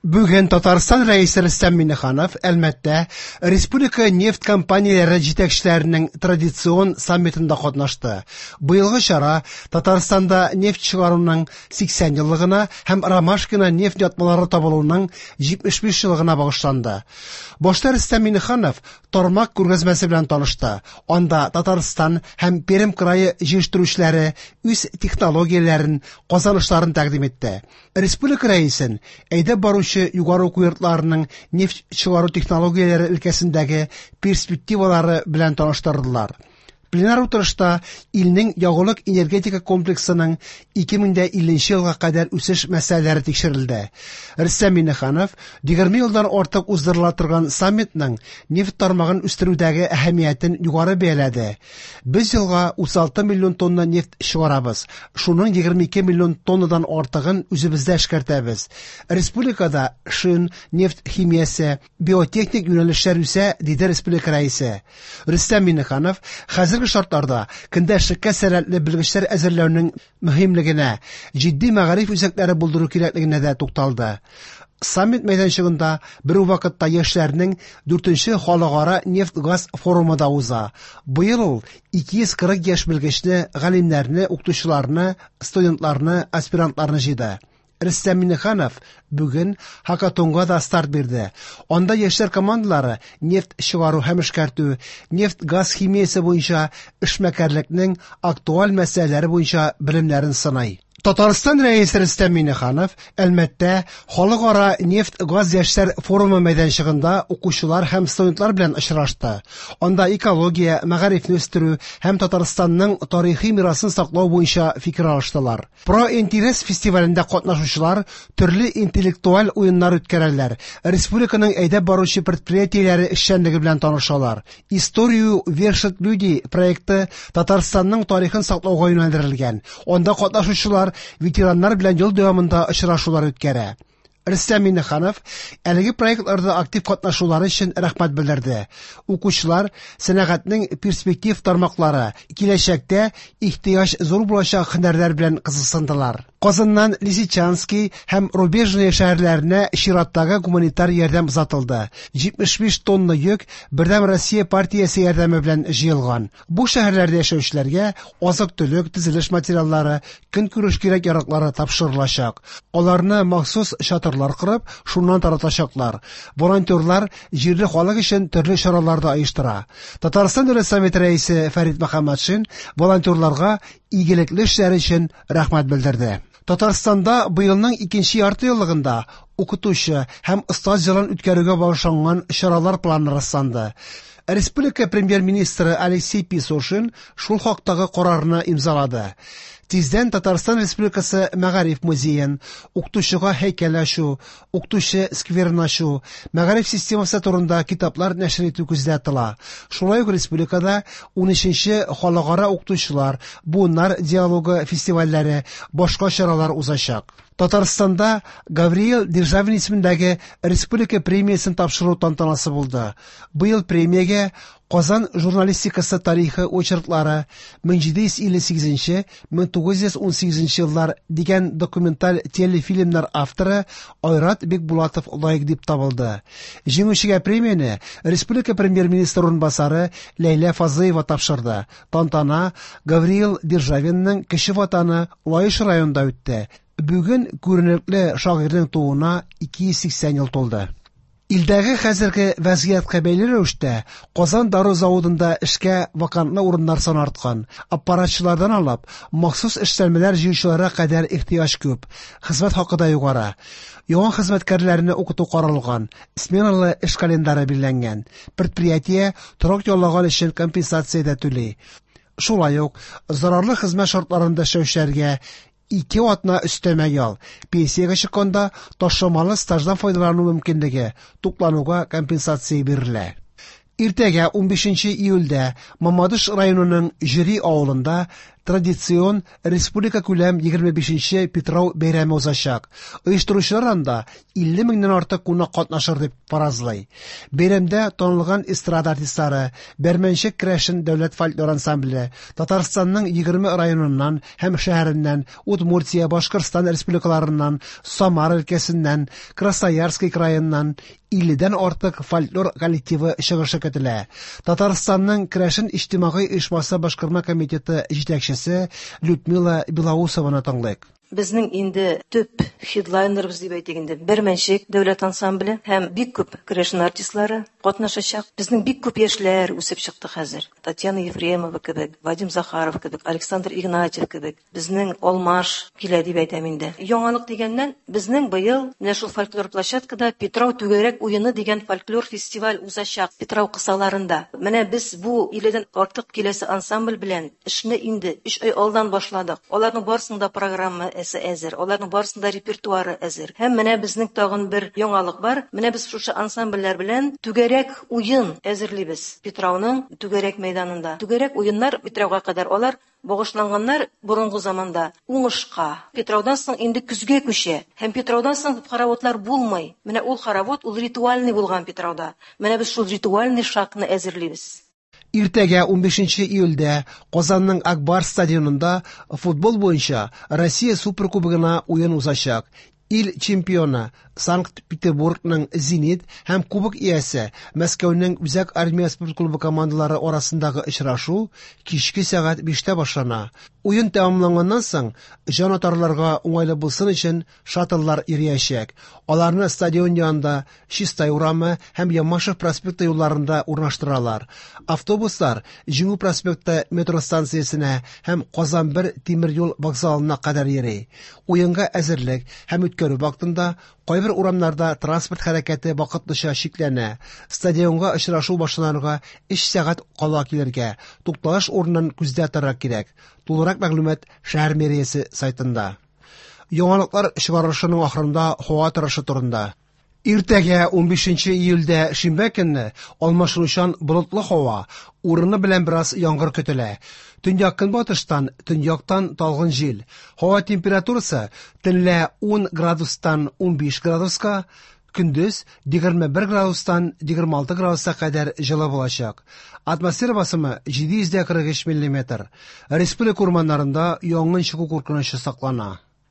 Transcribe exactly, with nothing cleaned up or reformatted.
Бүген Татарстан Рәисе Рөстәм Миңнеханов Әлмәттә республика нефть компанияләре җитәкчеләренең традицион саммитында катнашты. Быелгы чара Татарстанда нефть чыгаруның сиксән еллыгына һәм Ромашкино нефть ятмалары табылуның җитмеш биш еллыгына багышланды. Башта Рөстәм Миңнеханов тармак күргәзмәсе белән танышты. Анда Татарстан һәм Пермь крае җитештерүчеләре үз технологияләрен, казанышларын тәкъдим итте. Республика рәисен әйдәп баручы югары уку йортларының нефть чыгару технологияләре өлкәсендәге перспективалары белән таныштырдылар. Пленар утырышта илнең ягулык энергетика комплексының ике мең дә илленче елга кадәр үсеш мәсьәләләре тикшерелде. Рөстәм Миңнеханов егерме елдан артык уздырыла торган саммитның нефть тармагын үстерүдәге әһәмиятен югары бәяләде. Без елга утыз алты миллион тонна нефть чыгарабыз. Шуның егерме ике миллион тоннадан артыгын үзебездә эшкәртәбез. Республикада шин, нефть химиясе, биотехник юнәлешләр үсә, диде республика рәисе. Рөстәм Миңнеханов хәзерге шартларда көндәшлеккә сәләтле белгечләр әзерләүнең мөһимлегенә, җитди мәгариф үзәкләре булдыру кирәклегенә дә тукталды. Саммит мәйданчыгында бер үк вакытта яшьләрнең дүртенче халыкара нефть-газ форумы да уза. Быел ул ике йөз кырык яшь белгечне, галимнәрне, укытучыларны, студентларны, аспирантларны җыйды. Рөстәм Миңнеханов бүген хакатонга да старт бирде. Анда яшьләр командалары нефть чыгару һәм эшкәртү, нефть-газ химиясе буенча эшмәкәрлекнең актуаль мәсьәләләре буенча белемнәрен сынай. Татарстан Рәисе Рөстәм Миңнеханов Әлмәттә халыкара нефть-газ яшьләр форумы мәйданчыгында укучылар һәм студентлар белән очрашты. Анда экология, мәгарифне үстерү һәм Татарстанның тарихи мирасын саклау буенча фикер алыштылар. Про интерес фестивалендә катнашучылар төрле интеллектуаль уеннар үткәрәләр. Республиканың әйдәп баручы предприятиеләре эшчәнлеге белән танышалар. Историю вершат люди проекты Татарстанның тарихын саклауга юнәлдерелгән. Анда катнашучылар ветераннар белән ел дәвамында очрашулар үткәрә. Рөстәм Миңнеханов әлеге проектларда актив катнашулары өчен рәхмәт белдерде. Укучылар сәнәгатьнең перспектив тармаклары, киләчәктә ихтыяҗ зур булачак һөнәрләр белән кызыксындылар. Казаннан Лисичанский һәм Рубежное шәһәрләренә чираттагы гуманитар ярдәм озатылды. Җитмеш биш тонна йөк Бердәм Россия партиясе ярдәме белән җыелган. Бу шәһәрләрдә яшәүчеләргә азык-төлек, төзелеш материаллары, көнкүреш кирәк-яраклары тапшырылачак. Аларны махсус чатырлар корып, шуннан таратачаклар. Волонтерлар җирле халык өчен төрле чаралар да оештыра. Татарстан Дәүләт Советы рәисе Фәрит Мөхәммәтшин волонтерларга игелекле эшләре өчен рәхмәт белдерде. Татарстанда быелның икенче ярты еллыгында укытучы һәм остаз елын үткәрүгә багышланган чаралар планы расланды. Республика премьер-министры Алексей Песошин шул хактагы карарны имзалады. Тиздән Татарстан Республикасы Мәгариф музеен, укытучыга һәйкәл ачу, укытучы скверын ачу, мәгариф системасы турында китаплар нәшер итү күздә тотыла. Шулай ук республикада унөченче халыкара укытучылар, буыннар диалогы фестивальләре, башка чаралар узачак. Татарстанда Гавриил Державин исемендәге республика премиясен тапшыру тантанасы булды. Быел премиягә Казан журналистикасы тарихы очерклары мең җиде йөз илле сигезенче, мең тугыз йөз ун сигезенче еллар дигән документаль телефильмнар авторы Айрат Бекбулатов лаек дип табылды. Җиңүчегә премияне республика премьер-министры урынбасары Ләйлә Фазлыева тапшырды. Тантана Гавриил Державинның кече ватаны Лаеш районында үтте. Бүген күренекле шагыйрьнең тууына ике йөз сиксән ел тулды. Илдәге хәзерге вәзгыятькә бәйле рәвештә Казан дару заводында эшкә вакантлы урыннар саны арткан. Аппаратчылардан алып, махсус эшләнмәләр җыючыларга кадәр ихтыяҗ күп. Хезмәт хакы да югары. Яңа хезмәткәрләрне укыту каралган, сменалы эш календары билгеләнгән. Предприятие торак яллаган өчен компенсация дә түли. Шулай ук зарарлы хезмәт шартларында эшләүчеләргә ике атна өстәмә ял, пенсиягә чыкканда ташламалы стаждан файдалану мөмкинлеге, туклануга компенсация бирелә. Иртәгә унбишенче июльдә Мамадыш районының Җөри авылында традицион республика күләм егерме бишенче Питрау бәйрәме узачак. Оештыручылар анда илле меңнән артык кунак катнашыр дип фаразлый. Бәйрәмдә танылган эстрада артистлары, Бәрмәнчек керәшен дәүләт фольклор ансамбле, Татарстанның егерме районыннан һәм шәһәреннән, Удмуртия, Башкортстан республикаларыннан, Самара өлкәсеннән, Красноярский краеннан илледән артык фольклор коллективы чыгышы көтелә. Татарстанның Керәшен иҗтимагый оешмасы башкарма комитеты җитәкчесе Людмила Белоусованы тыңлыйк. Безнең инде төп хедлайнерыбыз дип әйтик инде Бәрмәнчек дәүләт ансамбле һәм бик күп керәшен артистлары катнашачак. Безнең бик күп яшьләр үсеп чыкты хәзер. Татьяна Ефремова кебек, Вадим Захаров кебек, Александр Игнатьев кебек. Безнең алмаш килә дип әйтәм инде. Яңалык дигәннән, безнең быел менә шул фольклор площадкада Питрау түгәрәк уены дигән фольклор фестиваль узачак Питрау кысаларында. Менә без бу илледән артык киләсе ансамбль белән эшне инде өч ай алдан башладык. Аларның барысының да программа әзер, аларның барысының да репертуары әзер. Һәм менә безнең тагын бер яңалык бар. Менә без шушы ансамбльләр белән түгәрәк уен әзерлибез Питрауның түгәрәк мәйданында. Түгәрәк уеннар Питрауга кадәр алар багышланганнар борынгы заманда уңышка. Питраудан соң инде көзгә күчә. Һәм Питраудан соң хороводлар булмый. Менә ул хоровод ул ритуальный булган Питрауда. Менә без шул ритуальный шакны әзерлибез. Иртәгә унбишенче июльдә Казанның Акбар стадионында футбол буенча Россия Суперкубогына уен узачак. Ил чемпионы Санкт-Петербургның Зенит һәм кубок иясе Мәскәүнең Үзәк армия спорт клубы командалары арасындагы очрашу кичке сәгать биштә башлана. Уен тәмамланганнан соң җанатарларга уңайлы булсын өчен шаттлар йөриячәк. Аларны стадион янында Чистай урамы һәм Ямашев проспекты юлларында урнаштыралар. Автобуслар Җиңү проспекты метро станциясенә һәм Казан бер тимер юл вокзалына кадәр йөри. Уенга әзерлек һәм үткәрү вакытында кайбер урамнарда транспорт хәрәкәте вакытлыча чикләнә. Стадионга очрашу башланырга өч сәгать кала килергә, тукталыш урынын күздә тотарга кирәк. Тулырак мәгълүмат шәһәр мэриясе сайтында. Яңалыклар чыгарылышының ахырында һава торышы турында. Иртәгә унбишенче июльдә шимбә көнне алмашынучан болытлы һава, урыны белән бераз яңгыр көтелә. Төньяк көнбатыштан, төньяктан талгын җил. Һава температурасы төнлә ун градустан унбиш градуска, көндез егерме бер градустан егерме алты градуска кадәр җылы булачак. Атмосфера басымы җиде йөз дә кырык өч миллиметр. Республика урманнарында янгын чыгу куркынычы саклана.